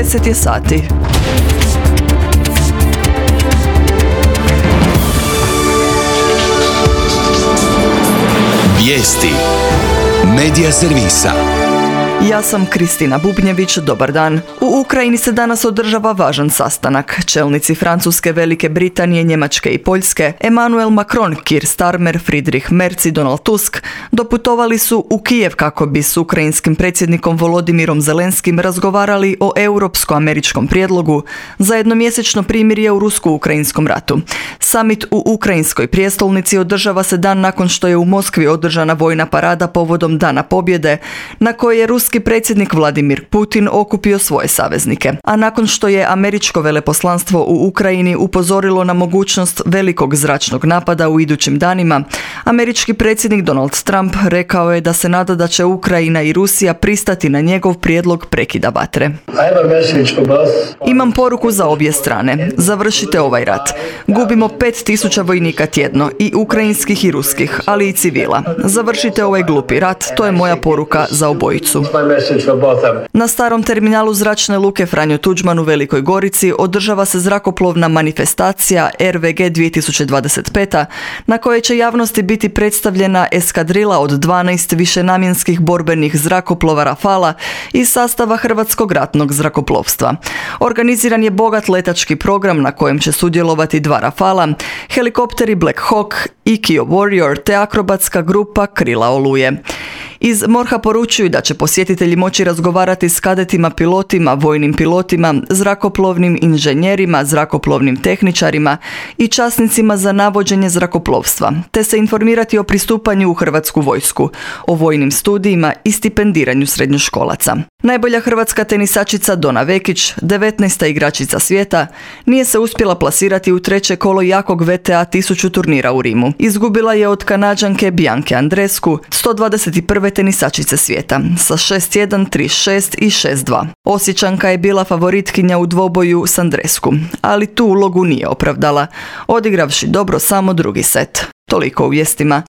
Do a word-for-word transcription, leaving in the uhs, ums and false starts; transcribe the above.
deset je sati. Vijesti Medija servisa. Ja sam Kristina Bubnjević, dobar dan. U Ukrajini se danas održava važan sastanak. Čelnici Francuske, Velike Britanije, Njemačke i Poljske, Emmanuel Macron, Keir Starmer, Friedrich Merz i Donald Tusk doputovali su u Kijev kako bi s ukrajinskim predsjednikom Volodimirom Zelenskim razgovarali o europsko-američkom prijedlogu za jednomjesečno primirje u rusko-ukrajinskom ratu. Summit u ukrajinskoj prijestolnici održava se dan nakon što je u Moskvi održana vojna parada povodom Dana pobjede, na kojoj je ruski predsjednik Vladimir Putin okupio svoje saveznike. A nakon što je američko veleposlanstvo u Ukrajini upozorilo na mogućnost velikog zračnog napada u idućim danima, američki predsjednik Donald Trump rekao je da se nada da će Ukrajina i Rusija pristati na njegov prijedlog prekida vatre. Imam poruku za obje strane. Završite ovaj rat. Gubimo pet tisuća vojnika tjedno, i ukrajinskih i ruskih, ali i civila. Završite ovaj glupi rat, to je moja poruka za obojicu. Na starom terminalu zračne luke Franjo Tuđman u Velikoj Gorici održava se zrakoplovna manifestacija R V G dvije tisuće dvadeset pet, na kojoj će javnosti biti predstavljena eskadrila od dvanaest višenamjenskih borbenih zrakoplova Rafala iz sastava Hrvatskog ratnog zrakoplovstva. Organiziran je bogat letački program na kojem će sudjelovati dva Rafala, helikopteri Black Hawk i Kio Warrior te akrobatska grupa Krila Oluje. Iz MORH-a poručuju da će posjetitelji moći razgovarati s kadetima pilotima, vojnim pilotima, zrakoplovnim inženjerima, zrakoplovnim tehničarima i časnicima za navođenje zrakoplovstva, te se informirati o pristupanju u Hrvatsku vojsku, o vojnim studijima i stipendiranju srednjoškolaca. Najbolja hrvatska tenisačica Dona Vekić, devetnaesta igračica svijeta, nije se uspjela plasirati u treće kolo jakog V T A tisuću turnira u Rimu. Izgubila je od Kanađanke Bianke Andrescu, sto dvadeset prve tenisačice svijeta, sa šest jedan, tri šest i šest dva. Osječanka je bila favoritkinja u dvoboju s Andrescu, ali tu ulogu nije opravdala, odigravši dobro samo drugi set. Toliko u vijestima.